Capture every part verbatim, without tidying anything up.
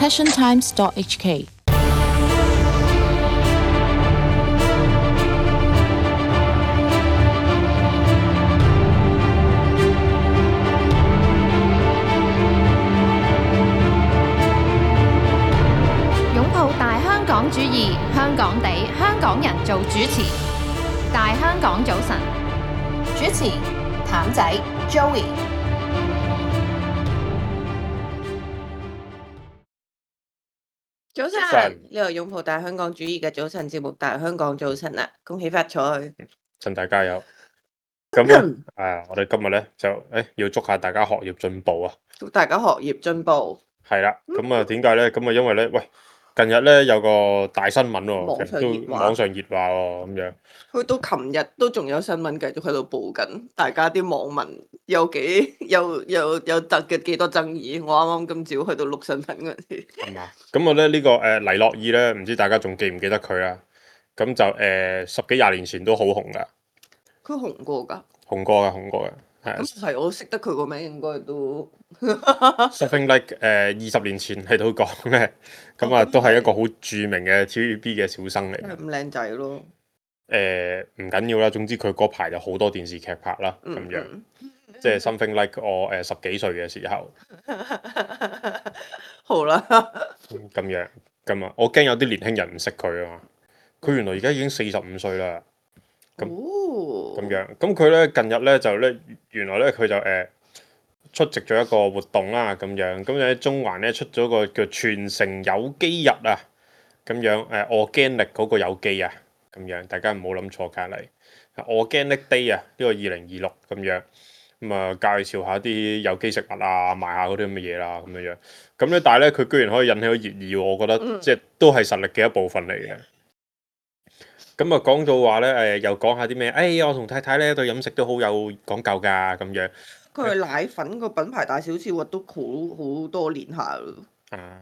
passion times dot h k。擁抱大香港主義，香港地，香港人做主持。大香港早晨，主持譚仔 Joey。早晨，呢度擁抱大香港主義嘅早晨節目《大香港早晨》啦，恭喜發財，趁大家有。咁咧，誒，我哋今日咧就誒要祝下大家學業進步啊！祝大家學業進步。係啦，咁啊點解咧？咁啊因為咧，喂，近日咧有個大新聞喎，網上熱話都網上熱話喎，咁樣。去到琴日都仲有新聞繼續喺度報緊，大家啲網民有幾有有有得嘅幾多爭議。我啱啱今朝去到錄新聞嗰陣時，係嘛？咁我咧呢個誒黎諾懿咧，唔知大家仲記唔記得佢啊？咁就誒十幾廿年前都好紅噶。佢紅過㗎。紅過嘅，紅過嘅。咁係我識得佢個名，應該都 something like 誒二十年前喺度講嘅，咁啊都係一個好著名嘅 T V B 嘅小生嚟。咁靚仔咯。誒唔緊要啦，總之佢嗰排就好多電視劇拍啦，咁樣，即係 something like 我誒十幾歲嘅時候。好啦。咁樣，咁啊，我驚有啲年輕人唔識佢啊嘛。佢原來而家已經四十五歲啦。咁咁樣，咁佢咧近日咧就咧原來咧佢就誒出席咗一個活動啦，咁樣，咁喺中環咧出咗個叫全城有機日啊，咁樣誒 organic 嗰個有機啊。咁樣，大家唔好諗錯隔離。Organic Day 啊，呢個二零二六咁樣，咁啊介紹下啲有機食物啊，賣下嗰啲咁嘅嘢啦，咁樣樣。咁咧，但係咧，佢居然可以引起咗熱議喎，我覺得、嗯、即係都係實力嘅一部分嚟嘅。咁啊，講到話咧，誒又講下啲咩？誒、哎，我同太太咧對飲食都好有講究㗎，咁樣。佢係奶粉個品牌大小事，都好好多年下咯。啊。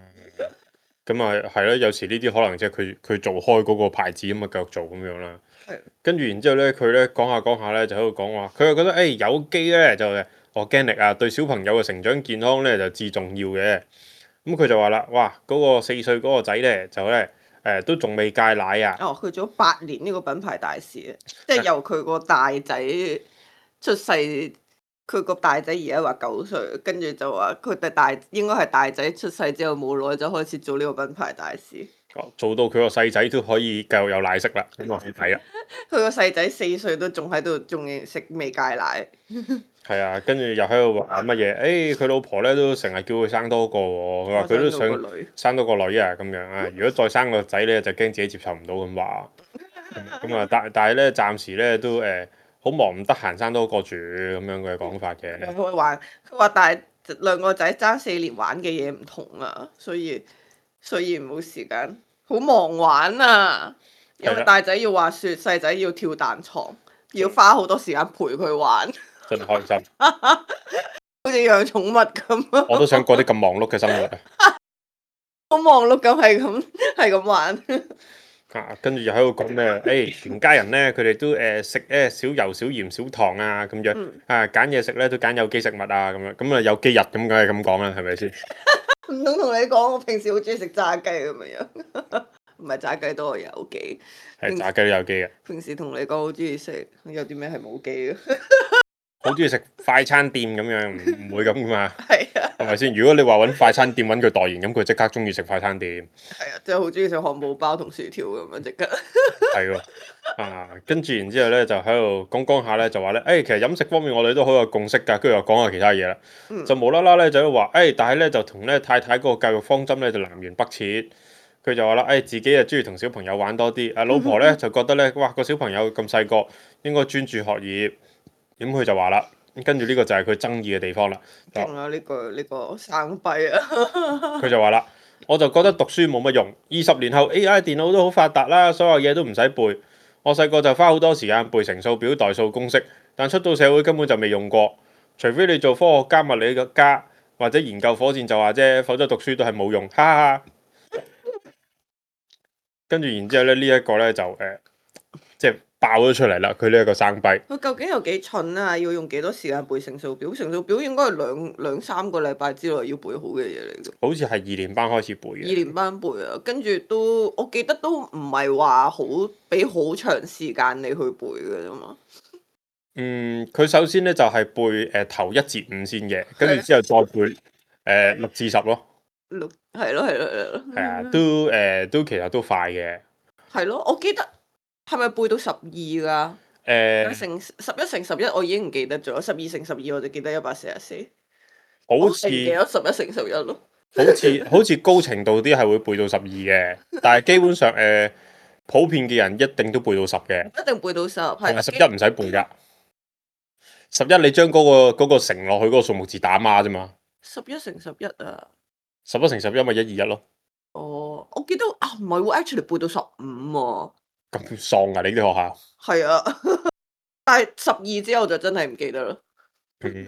咁啊，係咯，有時呢啲可能即係佢佢做開嗰個牌子咁啊，繼續做咁樣啦。係。跟住然之後咧，佢咧講下講下咧，就喺度講話，佢又覺得誒、欸、有機咧就 organic 啊，對小朋友嘅成長健康咧就至重要嘅。咁佢就話啦，哇，嗰、嗰個四歲嗰個仔咧就咧誒、呃、都仲未戒奶啊。哦，佢做咗八年呢個品牌大使啊，即係由佢個大仔出世。佢個大仔而家話九歲，跟住就話佢哋大應該係大仔出世之後冇耐就開始做呢個品牌大使。哦，做到佢個細仔都可以繼續有奶食啦，咁我睇啊。佢個細仔四歲都仲喺度，仲食未戒奶。係啊，跟住又喺度話乜嘢？誒、欸，佢老婆咧都成日叫佢生多個喎，佢話佢都想生多個女啊，咁樣啊。如果再生個仔咧，就驚自己接受唔到咁話。咁啊，但但係咧，暫時咧都誒。好忙唔得閒生多個住咁樣嘅講法嘅。佢話佢話，但係兩個仔爭四年玩嘅嘢唔同啊，所以所以冇時間，好忙玩啊。因為大仔要滑雪，細仔要跳彈床，要花好多時間陪佢玩。真開心。好似養寵物咁。我都想過啲咁忙碌嘅生活啊。好忙碌咁係咁係咁玩。啊，跟住又喺度講咩？誒、欸，全家人咧，佢哋都誒食誒少油、少鹽、少糖啊，咁樣、嗯、啊，揀嘢食咧都揀有機食物啊，咁樣咁啊有機日咁梗係咁講啦，係咪先？唔通同你講，我平時好中意食炸雞咁樣，唔係炸雞都係有機，係炸雞都有機嘅。平時同你講好中意食，有啲咩係冇機嘅？好中意食快餐店咁樣，唔唔會咁噶嘛？係啊，係咪先？如果你話揾快餐店揾佢代言，咁佢即刻中意食快餐店。係啊，即係好中意食漢堡包同薯條咁樣即刻。係喎，啊，跟住然之後咧就喺度講講下咧，就話咧，誒、欸，其實飲食方面我哋都好有共識㗎，跟住又講下其他嘢啦，嗯、就無啦啦咧就喺度話，誒、欸，但係咧就同咧太太嗰個教育方針咧就南轅北轍。佢就話啦，誒、欸，自己啊中意同小朋友玩多啲，啊老婆咧就覺得咧，哇個小朋友咁細個應該專注學業。咁佢就話啦，跟住呢個就係佢爭議嘅地方啦。仲有呢個呢個生幣啊！佢就話啦，我就覺得讀書冇乜用。二十年後 A I 電腦都好發達啦，所有嘢都唔使背。我細個就花好多時間背乘數表、代數公式，但出到社會根本就未用過。除非你做科學家、物理家或者研究火箭就話啫，否則讀書都係冇用。哈哈哈。跟住然之後咧，呢、這、一個咧就誒、呃，即係爆咗出嚟啦！佢呢一個生幣，佢究竟有幾蠢啊？要用幾多時間背乘數表？乘數表應該係兩兩三個禮拜之內要背好嘅嘢嚟嘅。好似係二年班開始背嘅。二年班背啊，跟住都我記得都唔係話好俾好長時間你去背嘅啫嘛。嗯，佢首先咧就係、是、背誒、呃、頭一至五先嘅，跟住之後再背誒、呃、六至十咯。六係咯係咯係咯。係啊，都誒、呃、都其實都快嘅。係咯，我記得係咪背到十二㗎？誒、呃，乘十一乘十一我已經唔記得咗，十二乘十二我就記得一百四十四。好似記得十一乘十一咯。好似好似高程度啲係會背到十二嘅，但係基本上誒、呃、普遍嘅人一定都背到十嘅。一定背到十，係十一唔使背㗎。十一你將嗰、那個嗰、那個乘落去嗰個數目字打孖啫嘛。十一乘十一啊！十一乘十一咪一二一咯。哦，我記得啊，唔係喎，actually 背到十五喎。咁喪啊！你啲學校？係啊，但係十二之後就真係唔記得啦。嗯，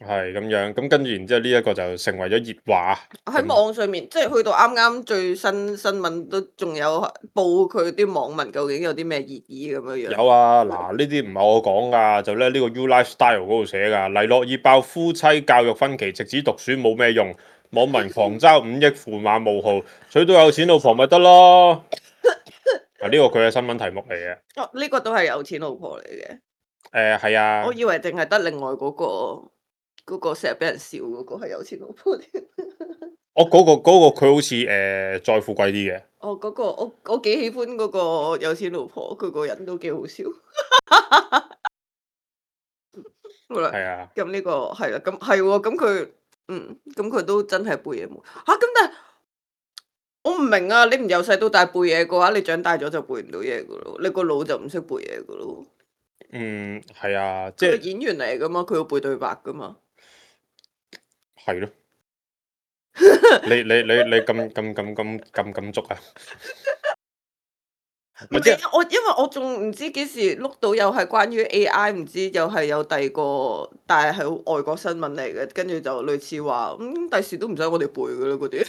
係咁樣，咁跟住然之後呢一個就成為咗熱話。喺網上面，即係去到啱啱最新新聞都仲有報佢啲網民究竟有啲咩熱議咁樣樣。有啊，嗱呢啲唔係我講噶，就咧呢個 U Lifestyle 嗰度寫噶，黎諾懿爆夫妻教育分歧，直指讀書冇咩用，網民狂嘲五億駙馬冒號，娶到有錢老婆咪得咯。啊，呢個佢嘅新聞題目嚟嘅。哦，呢個都係有錢老婆嚟嘅。誒係啊。我以為淨係得另外嗰個嗰個成日俾人笑嗰個係有錢老婆添。我嗰個嗰個佢好似誒再富貴啲嘅。哦，嗰個我我幾喜歡嗰個有錢老婆，佢個人都幾好笑。好啦，係啊。咁呢個係啦，咁係喎，咁佢嗯，咁佢都真係背嘢冇嚇，咁但係我唔明啊！你唔由細到大背嘢嘅話，你長大咗就背唔到嘢噶咯，你個腦就唔識背嘢噶咯。嗯，係啊，即係佢係演員嚟噶嘛，佢要背對白噶嘛。係咯。你你你你咁咁咁咁咁咁足啊？唔係啊，我因為我仲唔知幾時碌到又係關於 A I，唔知又係有第二個，但係係外國新聞嚟嘅，跟住就類似話，嗯，第時都唔使我哋背噶啦嗰啲，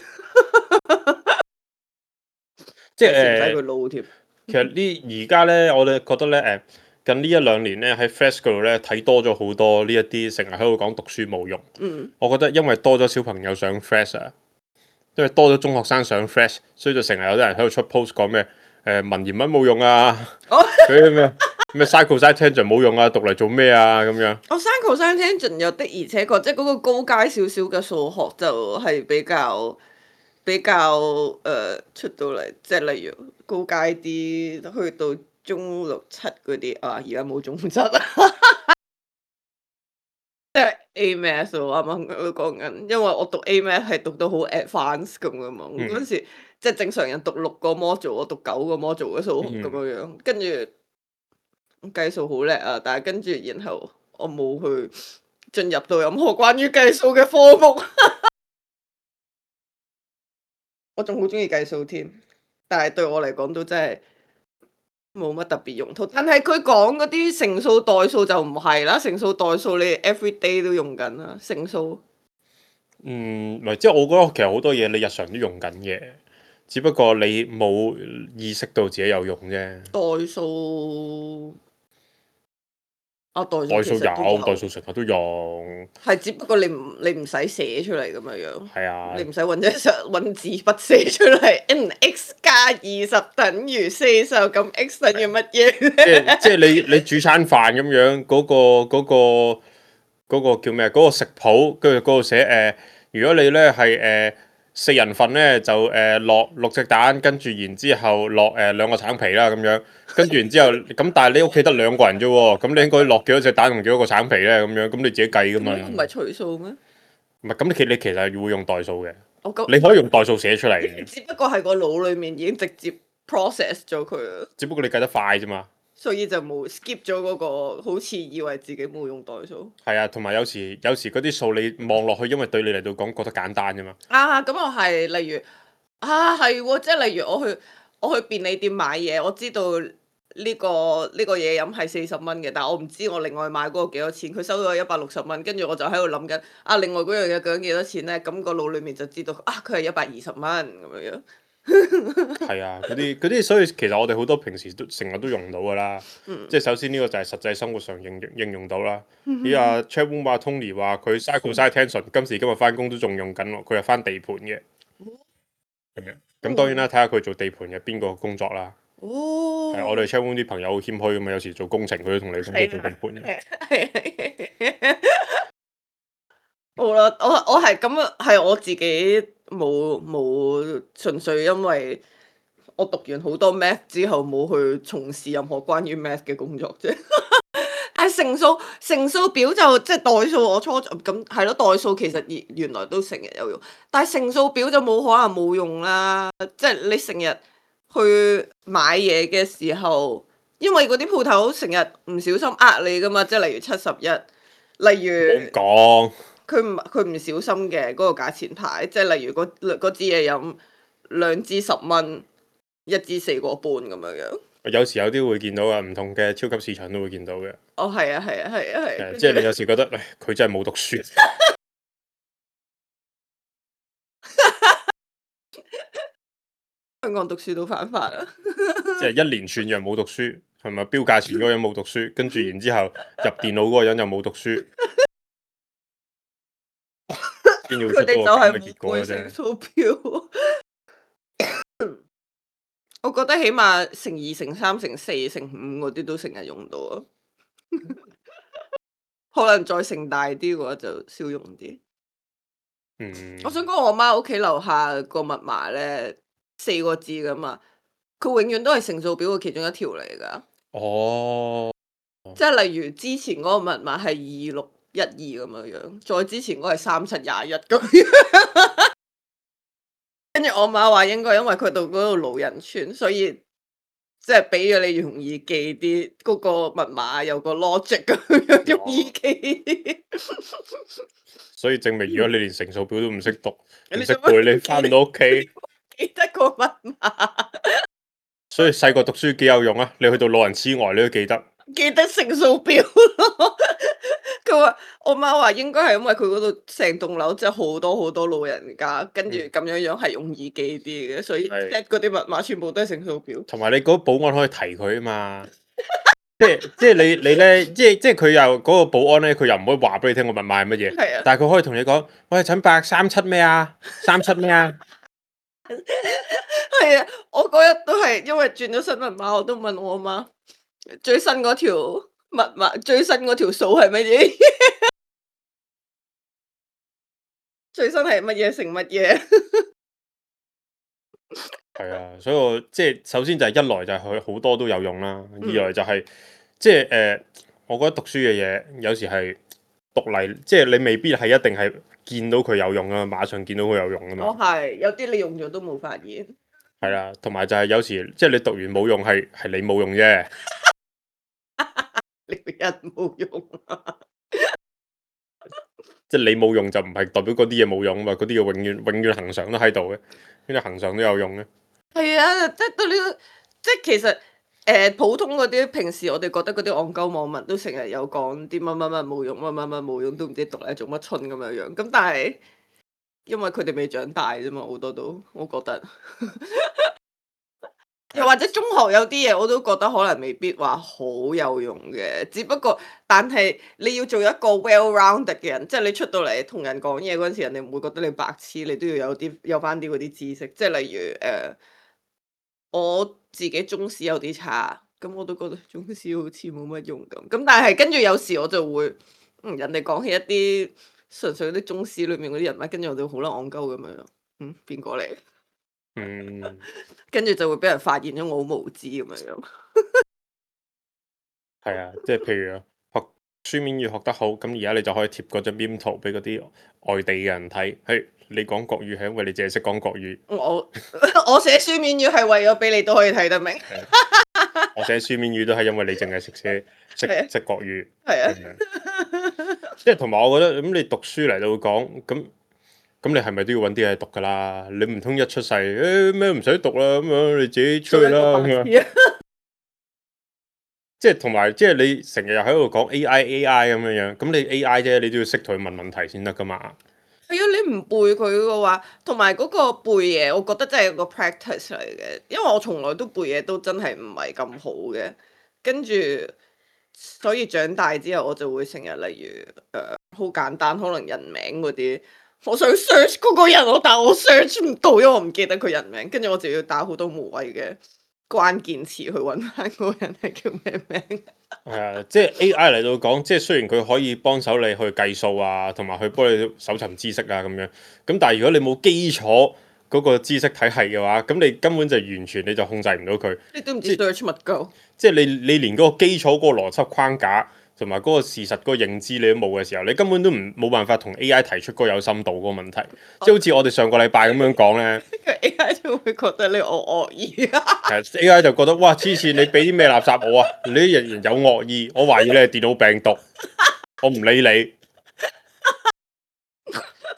即係唔使佢撈添。其實呢而家咧，我哋覺得咧，誒近呢一兩年咧喺 Flash 嗰度咧睇多咗好多呢一啲成日喺度講讀書冇用。嗯，我覺得因為多咗小朋友上 Flash 啊，因為多咗中學生上 Flash，所以就成日有啲人喺度出 post 講咩誒文言文冇用啊，嗰啲咩咩 sin cos tangent 冇用啊，讀嚟做咩啊咁樣。我 sin cos tangent 有的，而且確即係嗰個高階少少嘅數學就係比較比較誒、呃、出到嚟，即係例如高階啲去到中六七嗰啲啊，而家冇中七啊，即係 A math 喎，啱啱都講緊，因為我讀 A math 係讀到好 advanced 咁噶嘛，嗰陣、嗯、時即係正常人讀六個 module，我讀九個 module 嘅數學咁樣樣，跟住計數好叻啊，但係跟住然後我冇去進入到任何關於計數嘅科目。我仲好中意計數添，但係對我嚟講都真係冇乜特別用途。但係佢講嗰啲乘數代數就唔係啦，乘數代數你 every day 都用緊啦，乘數。嗯，唔係，即係我覺得其實好多嘢你日常都用緊嘅，只不過你冇意識到自己有用啫。代數。啊，代數代數有，有代數成日都用。係只不過你唔你唔使寫出嚟咁樣樣。係啊。你唔使揾隻揾紙筆寫出嚟。n x 加二十等於四十，咁 x 等於乜嘢？即係即係你你煮餐飯咁樣，嗰、嗰個嗰、嗰個嗰個叫咩？嗰、嗰個食譜跟住嗰度寫誒、呃，如果你咧係誒四人份咧，就誒、呃、落六隻蛋，跟住然之後落誒、呃、兩個橙皮啦咁樣。跟住然之後，咁但係你屋企得兩個人啫喎，咁你應該落幾多隻蛋同幾多個橙皮咧？咁樣咁你自己計噶嘛？唔係除數咩？唔係咁，你其你其實係會用代數嘅，我你可以用代數寫出嚟嘅。只不過係個腦裡面已經直接 process 咗佢啦。只不過你計得快啫嘛。所以就冇 skip 咗嗰個，好似以為自己冇用代數。係啊，同埋有時有時嗰啲數你望落去，因為對你嚟到講覺得簡單啫嘛。啊，咁我係例如啊，係喎，即係例如我去我去便利店買嘢，我知道。呢、個呢、個嘢飲係四十蚊嘅，但係我唔知我另外買嗰個幾多錢，佢收咗一百六十蚊，跟住我就喺度諗緊啊，另外嗰樣嘢究竟幾多錢咧？咁、個腦裡面就知道啊，佢係一百二十蚊咁樣樣。係啊，嗰啲嗰啲，所以其實我哋好多平時都成日都用到噶啦。嗯即係首先呢個就係實際生活上應應用到啦。咦啊 Chatroom 話 Tony 話佢 cycle side tension 今時今日翻工都仲用緊喎，佢係翻地盤嘅。咁樣咁當然啦，睇下佢做地盤嘅邊個工作啦。哦，係我哋 Chatroom 啲朋友好謙虛咁啊，有時做工程佢都同你講佢做地盤嘅。好啦，我我係咁啊，係我自己冇冇純粹因為我讀完好多 math 之後冇去從事任何關於 math 嘅工作啫。但係乘數乘數表就即係代數，我初咁係咯，代數其實原原來都成日有用，但係乘數表就冇可能冇用啦。即係你成日去買嘢嘅時候，因為嗰啲鋪頭成日唔小心呃你噶嘛，即係例如七十一，例如講佢唔佢唔小心嘅嗰個價錢牌，即係例如嗰嗰支嘢飲兩支十蚊，一支四個半咁樣樣。有時有啲會見到啊，唔同嘅超級市場都會見到嘅。哦，係啊，係啊，係啊，係。即係你有時覺得，唉，佢真係冇讀書。香港讀書都犯法啊！即係一連串人冇讀書，係咪標價錢嗰個人冇讀書，跟住然之後入電腦嗰個人又冇讀書，先要出到個咁嘅結果嘅啫。數表，我覺得起碼乘二、乘三、乘四、乘五嗰啲都成日用到啊。可能再乘大啲嘅話就少用啲。嗯，我想講我媽屋企樓下個密碼咧，四個字噶嘛，佢永遠都係乘數表嘅其中一條嚟噶。哦，即係例如之前嗰個密碼係二六一二咁樣樣，再之前嗰個係三七廿一咁樣。跟住我媽話應該因為佢到嗰度老人村，所以即係俾咗你容易記啲，嗰、嗰個密碼有個 logic 咁樣容易記啲。所以證明如果你連乘數表都唔識讀，唔識你做乜背，你翻唔到屋企。記得個密碼，所以細個讀書幾有用啊！你去到老人痴呆，你都記得。記得乘數表咯。佢話我媽話應該係因為佢嗰度成棟樓即係好多好多老人家，跟住咁樣樣係容易記啲嘅，所以係 set 嗰啲密碼全部都係乘數表。同埋你嗰個保安可以提佢啊嘛。即係即係你你咧，即係即係佢又嗰個保安咧，佢又唔可以話俾你聽個密碼係乜嘢。係啊，但係佢可以同你講：喂，陳伯三七咩啊？三七咩啊？係啊，我嗰日都係因為轉咗新密碼，我都問我媽最新嗰條密碼，最新嗰條數係乜嘢？最新係乜嘢乘乜嘢？係啊，所以我即係首先就係一來就係佢好多都有用啦，嗯二來就係、即係誒、呃，我覺得讀書嘅嘢有時係讀嚟，即係你未必係一定係見到佢有用啊，馬上見到佢有用啊嘛。我係有啲你用咗都冇發現。係啦，同埋就係有時即係你讀完冇用，係係你冇用啫。你個人冇用啊！即係你冇用就唔係代表嗰啲嘢冇用啊嘛，嗰啲嘢永遠永遠恆常都喺度嘅，跟住恆常都有用嘅。係啊，即係對呢個，即係其實誒、呃、普通嗰啲平時我哋覺得嗰啲戇鳩網民都成日有講啲乜乜乜冇用，乜乜乜冇用，都唔知讀嚟做乜春咁樣樣。咁但係因為佢哋未長大啫嘛，好多都我覺得。又或者中學有啲嘢我都覺得可能未必話好有用嘅，只不過但係你要做一個 well-rounded 嘅人，即係你出到嚟同人講嘢嗰陣時，人哋唔會覺得你白痴，你都要有啲有翻啲嗰啲知識，即係例如誒、呃，我自己中史有啲差，咁我都覺得中史好似冇乜用咁，咁但係跟住有時我就會，嗯，人哋講起一啲純粹啲中史裏面嗰啲人物，跟住我就好撚戇鳩咁樣，嗯，邊個嚟？嗯，跟住就會俾人發現咗我好無知咁樣樣。係啊，即係譬如學書面語學得好，咁而家你就可以貼嗰張邊圖俾嗰啲外地嘅人睇。係你講國語係因為你淨係識講國語。我我寫書面語係為咗俾你都可以睇得明。我寫書面語都係因為你淨係識寫識識國語。係啊。即係同埋我覺得咁你讀書嚟到講咁。咁你係咪都要揾啲嘢讀噶啦？你唔通一出世誒咩唔使讀啦咁樣，你自己出去啦咁樣。即係同埋即係你成日又喺度講 A I A I 咁樣樣，咁你 A I 啫，你都要識同佢問問題先得噶嘛。係啊，你唔背佢嘅話，同埋嗰個背嘢，我覺得真係一個 practice 嚟嘅，因為我從來都背嘢都真係唔係咁好嘅，跟住所以長大之後我就會成日例如誒好、呃、簡單，可能人名嗰啲，我想 search 嗰個人，我但我 search 唔到，因為我唔記得佢人名，跟住我就要打好多無謂嘅關鍵詞去揾翻嗰個人係叫咩名。係啊，即係 A I 嚟到講，即係雖然佢可以幫手你去計數啊，同埋去幫你搜尋知識啊咁樣。咁但係如果你冇基礎嗰個知識體系嘅話，咁你根本就完全你就控制唔到佢。你都唔知 search 乜鳩。即係你你連嗰個基礎嗰個邏輯框架同埋嗰個事實嗰個認知你都冇嘅時候，你根本都唔冇辦法同 A I 提出嗰個有深度嗰個問題。即係好似我哋上個禮拜咁樣講咧，A I 就會覺得你惡惡意啊。係 A I 就覺得哇黐線，你俾啲咩垃圾我啊？你啲人有惡意，我懷疑你係電腦病毒，我唔理你。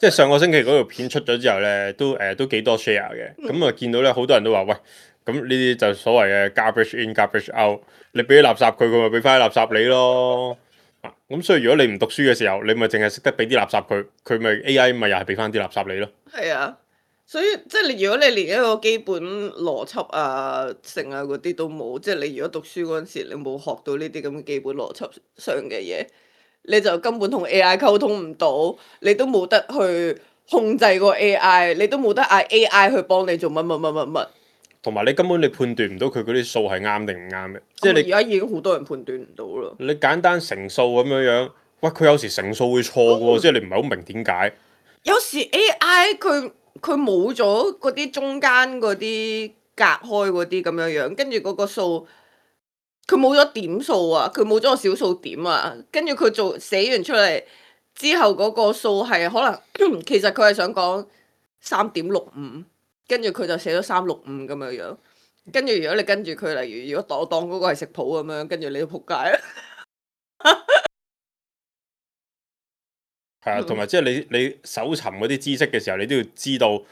即係上個星期嗰條片出咗之後咧，都誒、呃、都幾多 share 嘅。咁啊見到咧好多人都話喂，咁呢啲就所謂嘅 garbage in garbage out。你俾啲垃圾佢，佢咪俾翻啲垃圾你咯。咁所以如果你唔讀書嘅時候，你咪淨係識得俾啲垃圾佢，佢咪 A I 咪又係俾翻啲垃圾你咯。係啊，所以即係你如果你連一個基本邏輯啊、成啊嗰啲都冇，即係你如果讀書嗰陣時你冇學到呢啲咁嘅基本邏輯上嘅嘢，你就根本同 A I 溝通唔到，你都冇得去控制個 A I，你都冇得嗌 A I 去幫你做乜乜乜乜乜。同埋你根本你判斷唔到佢嗰啲數係啱定唔啱嘅，即係你而家已經好多人判斷唔到啦。你簡單乘數咁樣樣，喂佢有時乘數會錯嘅喎，即係你唔係好明點解。有時 A I 佢佢冇咗嗰啲中間嗰啲隔開嗰啲咁樣樣，跟住嗰個數佢冇咗點數啊，佢冇咗個小數點啊，跟住佢做寫完出嚟之後嗰個數係可能其實佢係想講三點六五。跟住佢就寫咗三六五咁樣樣，跟住如果你跟住佢，例如如果我當嗰個係食譜咁樣，跟住你都仆街啦。係啊，同埋即係你你搜尋嗰啲知識嘅時候，你都要知道，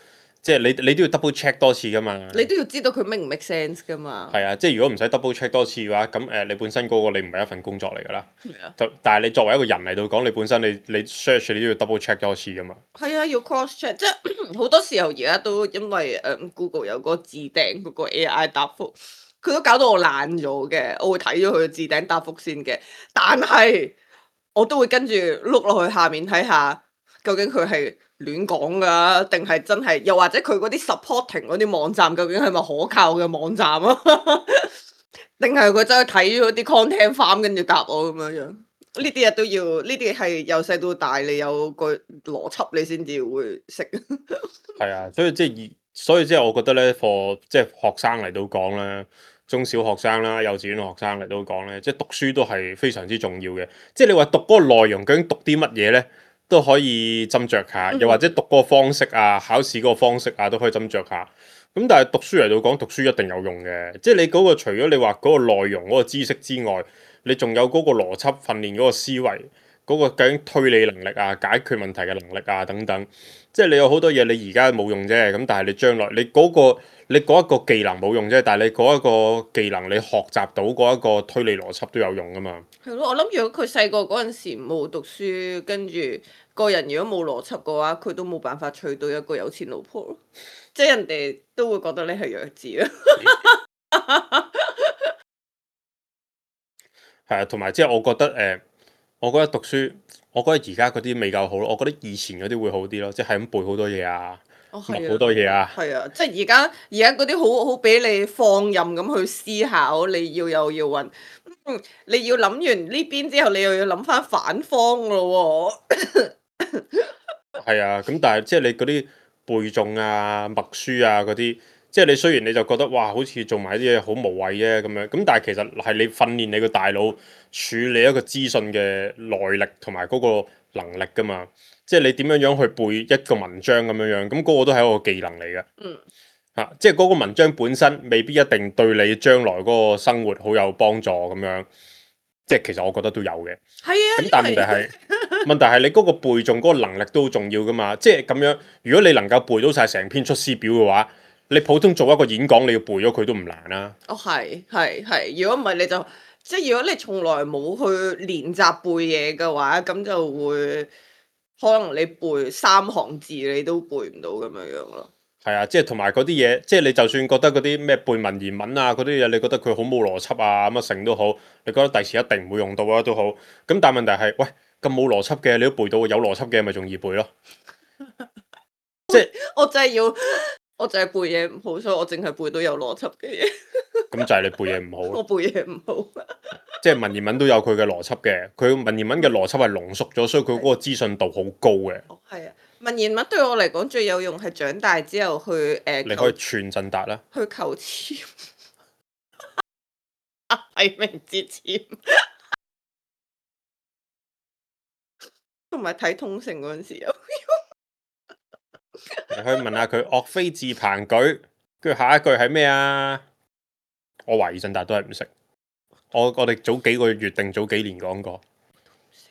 即係你你都要 double check 多次噶嘛。你都要知道佢 make 唔 make sense 噶嘛。係啊，即係如果唔使 double check 多次嘅話，咁誒、呃、你本身嗰個你唔係一份工作嚟㗎啦。係啊。但係你作為一個人嚟到講，你本身你你 search 你都要 double check 多次㗎嘛。係啊，要 cross check，即係好多時候而家都因為誒、嗯、Google 有個置頂嗰個 A I 答覆，佢都搞到我懶咗嘅。我會睇咗佢嘅置頂答覆先嘅，但係我都會跟住碌落去下面睇下，究竟佢係亂講㗎，定係真係？又或者佢嗰啲 supporting 嗰啲網站，究竟係咪可靠嘅網站啊？定係佢真係睇咗啲 content farm 跟住答我咁樣樣？呢啲嘢都要，呢啲係由細到大，你有個邏輯，你先至會識。係啊，所以即係，所以即係我覺得咧，for 即係學生嚟到講咧，中小學生啦、幼稚園學生嚟到講咧，即係讀書都係非常之重要嘅。即係你話讀嗰個內容究竟讀啲乜嘢咧，都可以斟酌下，又或者讀嗰個方式啊、考試嗰個方式啊，都可以斟酌下。咁但係讀書嚟到講，讀書一定有用嘅。即係你嗰個除咗你話嗰個內容嗰個知識之外，你仲有嗰個邏輯訓練嗰個思維，嗰個究竟推理能力啊、解決問題嘅能力啊等等，即係你有好多嘢你而家冇用啫，咁但係你將來你嗰個你嗰一個技能冇用啫，但係你嗰一個技能你學習到嗰一個推理邏輯都有用噶嘛。係咯，我諗如果佢細個嗰陣時冇讀書，跟住個人如果冇邏輯嘅話，佢都冇辦法娶到一個有錢老婆咯。即係人哋都會覺得你係弱智啊。係啊，同埋即係我覺得誒、呃，我覺得讀書，我覺得而家嗰啲未夠好咯。我覺得以前嗰啲會好啲咯，即係咁背好多嘢啊，學好、哦、多嘢啊。係啊，即係而家而家嗰啲好好俾你放任咁去思考，你要又要揾，嗯，你要諗完呢邊之後，你又要諗翻反方咯喎。係啊，咁但係即係你嗰啲背誦啊、默書啊嗰啲。即係你雖然你就覺得哇，好似做埋啲嘢好無謂啫咁樣，咁但係其實係你訓練你個大腦處理一個資訊嘅耐力同埋嗰個能力噶嘛。即係你點樣樣去背一個文章咁樣樣，咁嗰個都係一個技能嚟嘅。嗯。嚇，即係嗰個文章本身未必一定對你將來嗰個生活好有幫助咁樣。即係其實我覺得都有嘅。係啊。咁但係問題係問題係你嗰個背誦嗰個能力都好重要噶嘛。即係咁樣，如果你能夠背到晒成篇出師表嘅話，你普通做一個演講，你要背咗佢都唔難啦、啊。哦，係係係，如果唔係你就即係如果你從來冇去練習背嘢嘅話，咁就會可能你背三行字你都背唔到咁樣樣咯。係啊，即係同埋嗰啲嘢，即係你就算覺得嗰啲咩背文言文啊嗰啲嘢，你覺得佢好冇邏輯啊乜成都好，你覺得第時一定唔會用到啊都好。咁但係問題係，喂咁冇邏輯嘅你都背到，有邏輯嘅咪仲易背咯。即係我真係要，我淨係背嘢唔好，所以我淨係背到有邏輯嘅嘢。咁就係你背嘢唔好。我背嘢唔好。即係文言文都有佢嘅邏輯嘅，佢文言文嘅邏輯係濃縮咗，所以佢嗰個資訊度好高嘅。哦，係啊，文言文對我嚟講最有用係長大之後去誒，呃、你可以串陣達啦，去求籤，係明節籤，同埋睇通勝嗰陣時有。你可以問下佢岳飛自彭舉，跟住下一句係咩啊？我懷疑陣達都係唔識。我我哋早幾個月定早幾年講過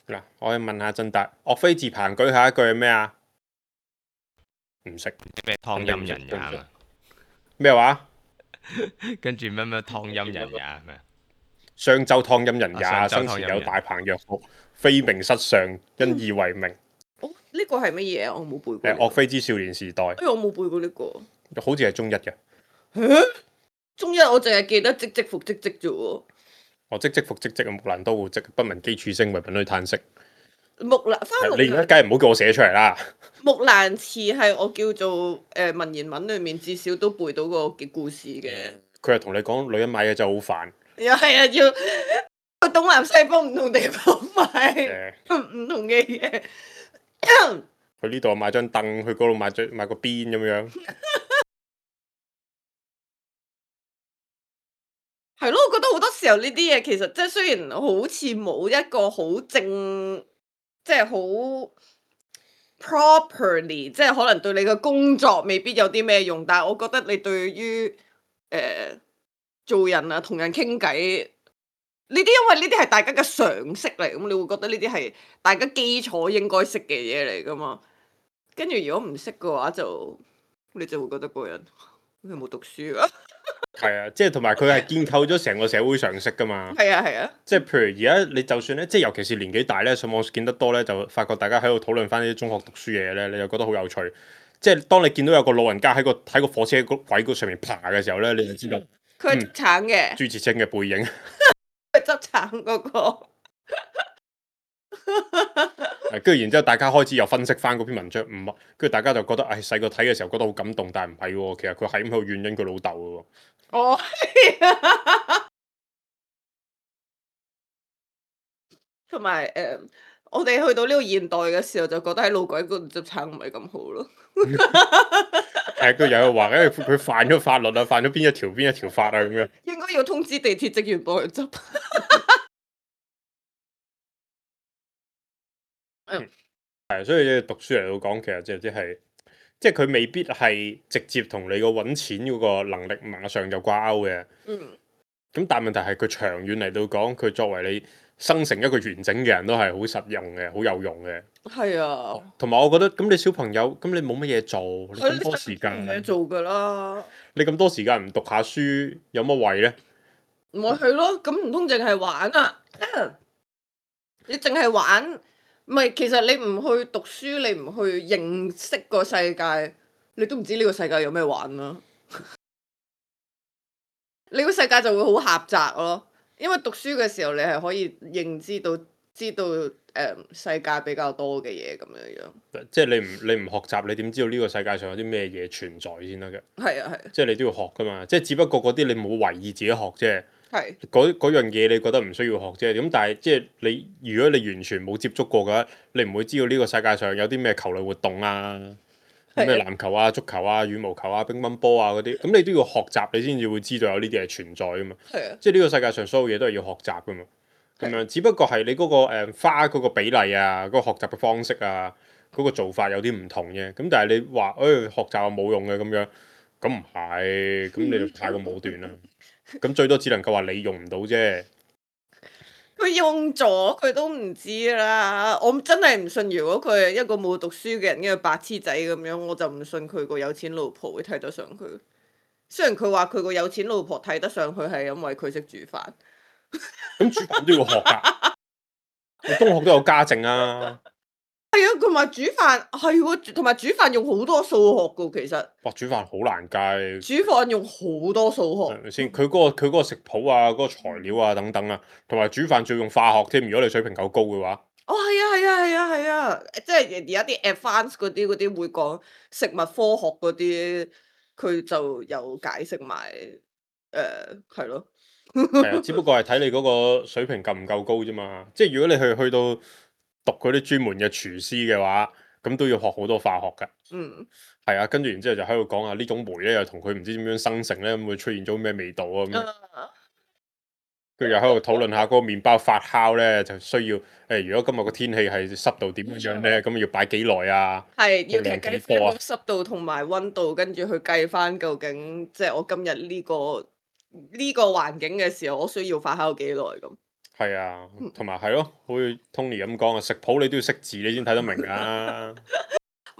嗱，我可以問下陣達，岳飛自彭舉下一句係咩啊？唔識咩湯陰人也啊？咩話？跟住咩咩湯陰人也係咪？商周湯陰人也，啊生前有大鵬若服，非名失上，因義為名。哦，呢個係乜嘢啊？我冇背過。誒，岳飛之少年時代。哎，我冇背過呢個。好似係中一嘅。中一我淨係記得唧唧復唧唧啫喎。我唧唧復唧唧，木蘭當戶織，不聞機杼聲，惟聞噓嘆息。木蘭翻木蘭，你而家梗係唔好叫我寫出嚟啦。木蘭辭係我叫做誒、呃、文言文裏面至少都背到個嘅故事嘅。佢係同你講女人買嘢就好煩。又係啊，要去東南西北唔同地方買唔、嗯、同嘅嘢。去呢度買張凳，去嗰度買張買個邊咁樣。係咯，我覺得好多時候呢啲嘢其實即係雖然好似冇一個好正，即係好 properly，即係可能對你嘅工作未必有啲咩用，但係我覺得你對於誒、呃、做人啊，同人傾偈呢啲，因為呢啲係大家嘅常識嚟，咁你會覺得呢啲係大家基礎應該識嘅嘢嚟噶嘛。跟住如果唔識嘅話就，就你就會覺得個人佢冇讀書啊。係啊，即係同埋佢係建構咗成個社會常識噶嘛。係啊係啊，即係譬如而家你就算咧，即係尤其是年紀大咧，上網見得多咧，就發覺大家喺度討論翻啲中學讀書嘢咧，你就覺得好有趣。即係當你見到有個老人家喺個喺個火車軌嗰上面爬嘅時候咧，你就知道佢係執橙嘅，朱自清嘅背影。佢執橙嗰個。跟住然之後，大家開始又分析翻嗰篇文章，唔，跟住大家就覺得，唉、哎，細個睇嘅時候覺得好感動，但係唔係喎，其實佢係咁喺度怨緊佢老豆嘅喎。哦，同埋誒，我哋去到呢個現代嘅時候，就覺得喺路軌嗰度執橙唔係咁好咯。誒，佢又話咧，佢犯咗法律啊，犯咗邊一條邊一條法啊咁樣。應該要通知地鐵職員幫佢執。嗯，係，所以你讀書嚟到講，其實即係即係，即係佢未必係直接同你個揾錢嗰個能力馬上就掛鈎嘅。嗯。咁但係問題係佢長遠嚟到講，佢作為你生成一個完整嘅人都係好實用嘅，好有用嘅。係啊。同埋我覺得，咁你小朋友，咁你冇乜嘢做，你咁多時間，冇嘢做㗎啦。你咁多時間唔讀下書，有乜謂呢？咪係咯，咁唔通淨係玩啊？你淨係玩？唔係，其實你唔去讀書，你唔去認識個世界，你都唔知呢個世界有咩玩啦。你個世界就會好狹窄咯，因為讀書嘅時候，你係可以認知到、知道誒、呃、世界比較多嘅嘢咁樣樣。即係你唔你唔學習，你點知道呢個世界上有啲咩嘢存在先得嘅？係啊係。即係你都要學噶嘛，即係只不過嗰啲你冇為意自己學啫。係嗰嗰樣嘢你覺得唔需要學啫，咁但係即係你如果你完全冇接觸過嘅話，你唔會知道呢個世界上有啲咩球類活動啊，咩籃球啊、足球啊、羽毛球啊、乒乓波啊嗰啲，咁你都要學習，你先至會知道有呢啲係存在噶嘛。係啊，即係呢個世界上所有嘢都係要學習噶嘛。咁樣只不過係你嗰個誒花嗰個比例啊，嗰個學習嘅方式啊，嗰個做法有啲唔同啫。咁但係你話誒學習係冇用嘅咁樣，咁唔係，咁你就太過武斷啦。咁最多只能夠話你用唔到啫。佢用咗佢都唔知啦。我真係唔信，如果佢係一個冇讀書嘅人，一個白痴仔咁樣，我就唔信佢個有錢老婆會睇得上佢。雖然佢話佢個有錢老婆睇得上佢係因為佢識煮飯。咁煮飯都要學㗎，你中學都有家政啊。係啊，同埋煮飯係喎，同埋煮飯用好多數學噶，其實。哇！煮飯好難計。煮飯用好多數學。係咪先？佢嗰、個佢嗰個食譜啊，嗰、個材料啊等等啊，同埋煮飯仲要用化學添。如果你水平夠高嘅話。哦，係啊，係啊，係啊，係啊，即係而家啲 advance 嗰啲嗰啲會講食物科學嗰啲，佢就有解釋埋誒係咯。係啊，只不過係睇你嗰個水平夠唔夠高啫嘛。即係如果你去去到讀嗰啲專門嘅廚師嘅話，咁都要學好多化學㗎。嗯。係啊，跟住然之後就喺度講啊，呢種酶咧又同佢唔知點樣生成咧，咁會出現咗咩味道啊咁。跟住又喺度討論下嗰個麵包發酵咧，就需要誒、欸，如果今日個天氣係濕度點樣咧，咁要擺幾耐啊？係要量計幾多啊？濕度同埋溫度，跟住去計翻究竟，即係我今日呢個呢個環境嘅時候，我需要發酵幾耐咁。係啊，同埋係咯，好似 Tony 咁講啊，食譜你都要識字，你先睇得明啊。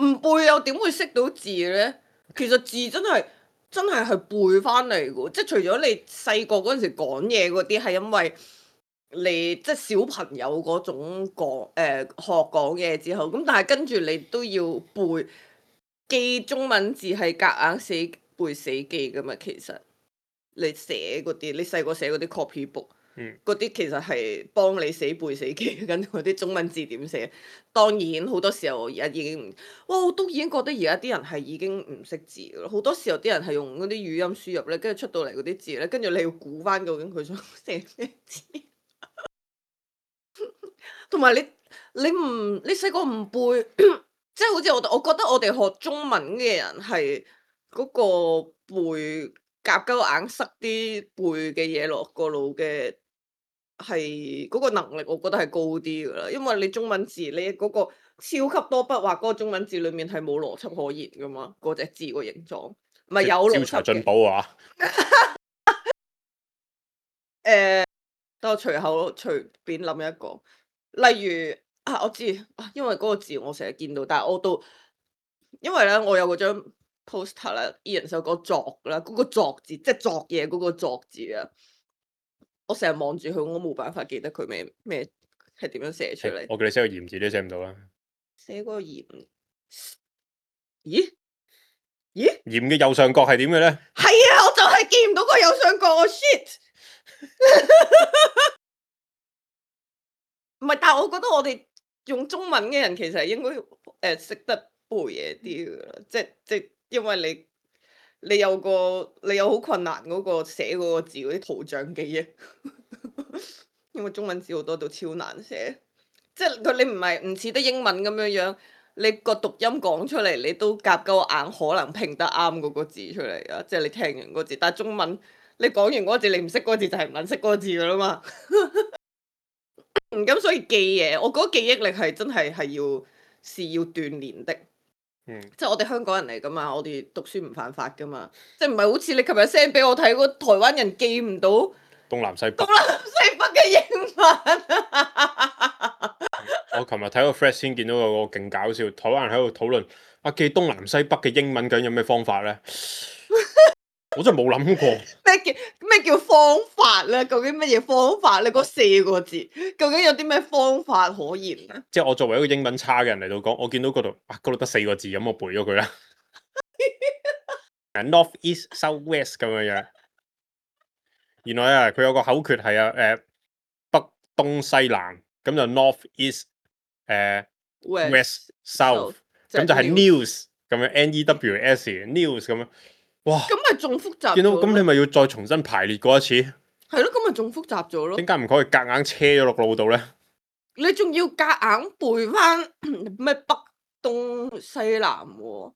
唔背又點會識到字咧？其實字真係真係係背翻嚟嘅，即係除咗你細個嗰陣時講嘢嗰啲係因為你即係小朋友嗰種講誒、呃、學講嘢之後，咁但係跟住你都要背記中文字係夾硬死背死記噶嘛。其實你寫嗰啲，你細個寫嗰啲 copy book。嗰啲、嗯、其實係幫你死背死記，跟嗰啲中文字點寫。當然好多時候而家已經唔，哇！我都已經覺得而家啲人係已經唔識字咯。好多時候啲人係用嗰啲語音輸入咧，跟住出到嚟嗰啲字咧，跟住你要估翻究竟佢想寫咩字。同埋你你唔你細個唔背，即係好似我我覺得我哋學中文嘅人係嗰個背夾鳩硬塞啲背嘅嘢落個腦嘅。係嗰個能力，我覺得係高啲噶啦，因為你中文字你嗰個超級多筆畫嗰個中文字裏面係冇邏輯可言噶嘛，嗰隻字個形狀唔係有邏輯嘅。招財進寶啊！誒，等我隨口隨便諗一個，例如啊，我知啊，因為嗰個字我成日見到，但係我都因為咧，我有嗰張 poster 啦，二人首歌作啦，嗰個作字即係作嘢嗰個作字啊。我成日望住佢，我冇辦法記得佢咩咩係點樣寫出嚟。我叫你寫個鹽字都寫唔到啦。寫個鹽，咦咦？鹽嘅右上角係點嘅咧？係啊，我就係見唔到個右上角，我 shit。唔係，但係我覺得我哋用中文嘅人其實係應該誒識得背嘢啲噶啦，即即因為你。你有個你有好困難嗰個寫嗰個字嗰啲圖像記憶，因為中文字好多都超難寫，即係佢你唔係唔似得英文咁樣樣，你個讀音講出嚟你都夾夠硬可能拼得啱嗰個字出嚟啊！即係你聽完嗰字，但係中文你講完嗰個字你唔識嗰個字就係唔撚識嗰個字噶啦嘛。咁所以記嘢，我覺得記憶力係真係係要是要鍛鍊的。嗯、即係我哋香港人嚟噶嘛，我哋讀書唔犯法噶嘛，即係唔係好似你琴日 send 俾我睇嗰台灣人記唔到東南西北東南西北嘅英文。我琴日睇個 thread 先見到有個勁搞笑，台灣人喺度討論啊記東南西北嘅英文究竟有咩方法咧？我真係冇諗過咩叫咩叫方法咧？究竟乜嘢方法咧？嗰四個字究竟有啲咩方法可言咧？即係我作為一個英文差嘅人嚟到講，我見到嗰度啊嗰度得四個字，咁我背咗佢啦。North East South West 咁樣樣。原來啊，佢有個口訣係啊，誒北東西南，咁就 North East 誒 West South，咁就係 news 咁樣 N E W S news 咁樣。哇！咁咪仲複雜？見到咁你咪要再重新排列過一次？係咯，咁咪仲複雜咗咯？點解唔可以夾硬車咗落腦度咧？你仲要夾硬背翻咩北東西南喎？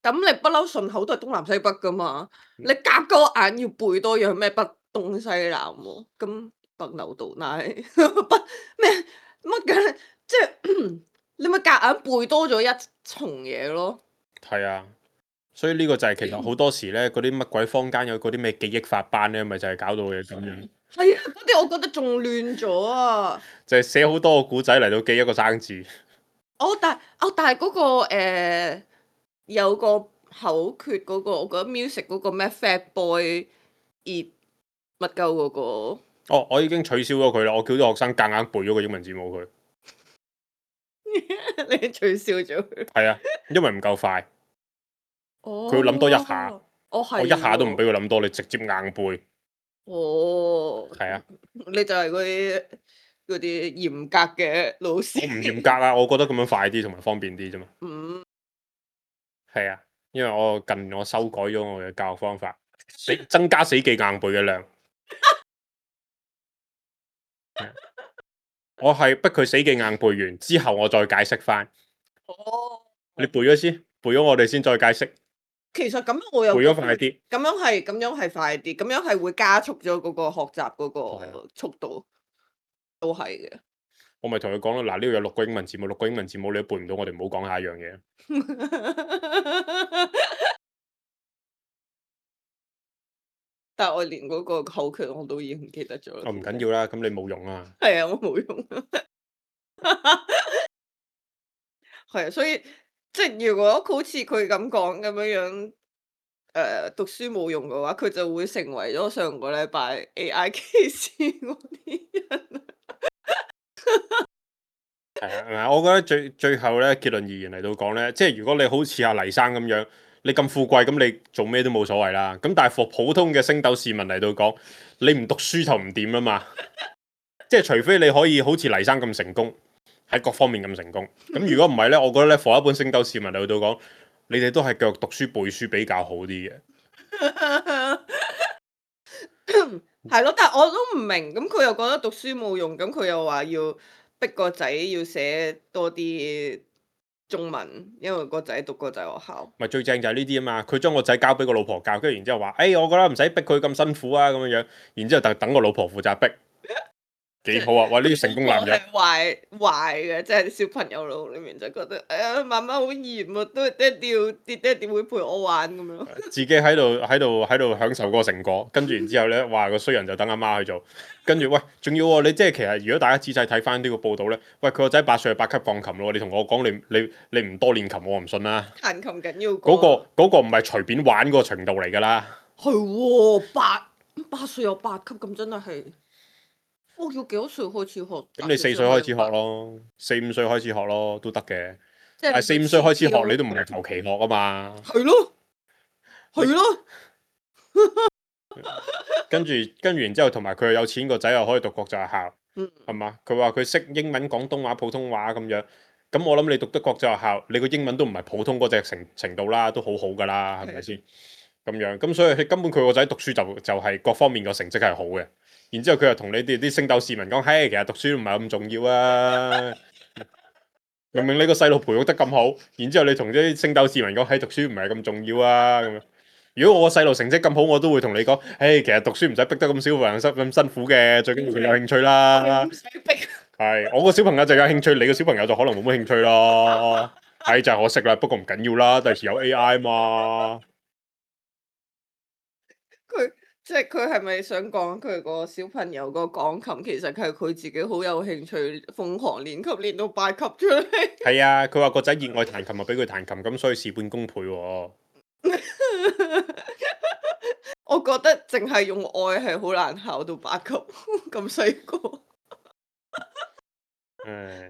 咁你不嬲順口都係東南西北噶嘛？你夾個硬要背多樣咩北東西南喎？咁北牛道奶北咩乜嘅？即係你咪夾硬背多咗一重嘢咯？係啊。所以呢個就係其實好多時咧，嗰啲乜鬼坊間有嗰啲咩記憶法班咧，咪就係、是、搞到嘅咁樣。係啊，嗰啲我覺得仲亂咗啊！就係寫好多個古仔嚟到記一個生字。哦，但哦，但係嗰、那個、呃、有個口訣嗰、那個，我覺得 music 嗰個咩 Fat Boy Eat 乜鳩嗰個。哦，我已經取消咗佢啦，我叫啲學生夾硬背咗個英文字母佢。你取消咗佢。係啊，因為唔夠快，哦，佢要諗多一下。哦，係。我一下都唔俾佢諗多，你直接硬背。哦。係啊。你就係嗰啲嗰啲嚴格嘅老師。我唔嚴格啊，我覺得咁樣快啲同埋方便啲啫嘛。嗯。係啊，因為我近年我修改咗我嘅教學方法，死增加死記硬背嘅量。我係逼佢死記硬背完之後，我再解釋翻。哦。你背咗先，背咗我哋先再解釋。其實咁樣我又背咗快啲。咁樣係咁樣係快啲，咁樣係會加速咗嗰個學習嗰個速度，都係嘅。我咪同佢講咯，嗱，呢度有六個英文字母，六個英文字母你都背唔到，我哋唔好講下一樣嘢。但係我連嗰個口訣我都已經唔記得咗。我唔緊要啦，咁你冇用啊。係啊，我冇用。係啊，所以即係如果好似佢咁講咁樣樣，誒、呃、讀書冇用嘅話，佢就會成為咗上個禮拜 A I 歧視嗰啲人。係啊，我覺得最最後咧結論而言嚟到講咧，即係如果你好似阿黎生咁樣，你咁富貴，咁你做咩都冇所謂啦。咁但係服普通嘅星斗市民嚟到講，你唔讀書就唔掂啊嘛。即係除非你可以好似黎生咁成功，喺各方面咁成功。咁如果唔係咧，我覺得咧，服一般星斗市民嚟到講，你哋都係繼續讀書背書比較好啲嘅。係咯，但係我都唔明，咁佢又覺得讀書冇用，咁佢又話要逼個仔要寫多啲中文，因為個仔讀國際學校。咪最正就係呢啲啊嘛，佢將個仔交俾個老婆教，跟住然之後話，誒、哎，我覺得唔使逼佢咁辛苦啊，咁樣樣，然之後等等個老婆負責逼。幾好啊！哇，呢啲成功男人係壞壞嘅，即係小朋友腦裏面就覺得，哎呀，媽媽好嚴啊，都係爹哋要，爹爹哋會陪我玩咁樣。自己喺度喺度喺度享受嗰個成果，跟住然之後咧，哇，個衰人就等阿媽去做，跟住喂，仲要喎，你即係其實如果大家仔細睇翻呢個報道咧，喂，佢個仔八歲係八級鋼琴咯，你同我講你你你唔多練琴，我唔信啦。彈琴緊要嗰個嗰個唔係隨便玩嗰個程度嚟㗎啦。係喎，八八歲有八級咁真係係。我要幾多歲開始學？咁你四歲開始學咯，四五歲開始學咯，都得嘅。即係但係四五歲開始學，你都唔係求其學啊嘛。係咯，係咯。跟住跟住然之後，同埋佢又有錢，個仔又可以讀國際學校，係、嗯、嘛？佢話佢識英文、廣東話、普通話咁樣。咁我諗你讀得國際學校，你個英文都唔係普通嗰隻程程度啦，都好好㗎啦，係咪先？咁樣咁所以根本佢個仔讀書就就係、是、各方面個成績係好嘅。然之後佢又同你哋啲星斗市民講，嘿，其實讀書唔係咁重要啊！明明你個細路培育得咁好，然之後你同啲星斗市民講，嘿，讀書唔係咁重要啊！咁樣，如果我個細路成績咁好，我都會同你講，嘿，其實讀書唔使逼得咁少人咁辛苦嘅，最緊要佢有興趣啦。唔使逼。係，我個小朋友就有興趣，你個小朋友就可能冇乜興趣咯。係就係可惜啦，不過唔緊要啦，第時有 A I 嘛。佢。即係佢係咪想講佢個小朋友個鋼琴其實係佢自己好有興趣，瘋狂練級練到八級出嚟？係啊，佢話個仔熱愛彈琴，咪俾佢彈琴，咁所以事半功倍喎。我覺得淨係用愛係好難考到八級，咁細個。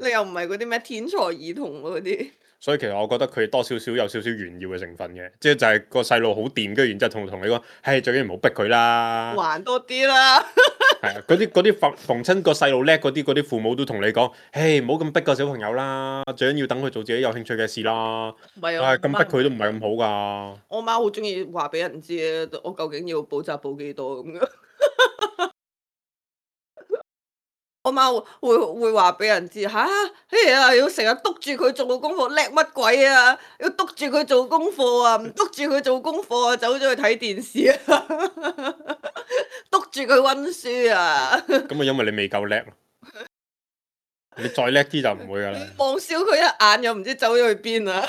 你又唔係嗰啲咩天才兒童嗰啲。所以其實我覺得佢多少少有少少炫耀嘅成分嘅，即係就係個細路好掂，跟住然之後同同你講，係最緊要唔好逼佢啦，玩多啲啦。係啊，嗰啲嗰啲逢逢親個細路叻嗰啲嗰啲父母都同你講，誒唔好咁逼個小朋友啦，最緊要等佢做自己有興趣嘅事啦。唔係啊，咁逼佢都唔係咁好㗎。我媽好中意話俾人知咧，我究竟要補習補幾多咁樣。我媽會會話俾人知吓，哎呀，要成日督住佢做功課，叻乜鬼啊？要督住佢做功課啊，唔督住佢做功課啊，走咗去睇電視啊，督住佢溫書啊。咁啊，因為你未夠叻，你再叻啲就唔會噶啦。望少佢一眼，又唔知走咗去邊啊。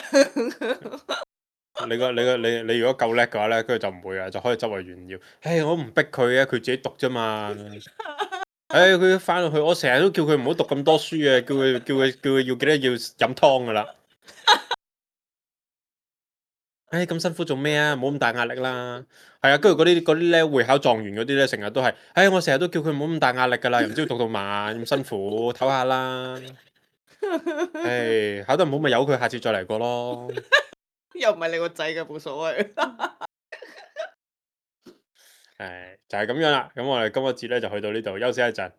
你個你個你你如果夠叻嘅話咧，跟住就唔會啊，就可以周圍炫耀。誒，我唔逼佢啊，佢自己讀啫嘛。誒，佢翻到去，我成日都叫佢唔好讀咁多書啊，叫佢叫佢叫佢要記得要飲湯噶啦。誒，咁辛苦做咩啊？唔好咁大壓力啦。係啊，跟住嗰啲嗰啲咧會考狀元嗰啲咧，成日都係，誒，我成日都叫佢唔好咁大壓力噶啦，又唔知要讀到晚咁辛苦，唞下啦。唉，考得唔好咪由佢，下次再嚟過咯。又唔係你個仔嘅，冇所謂。誒，就係咁樣啦。咁我哋今個節咧就去到呢度，休息一陣。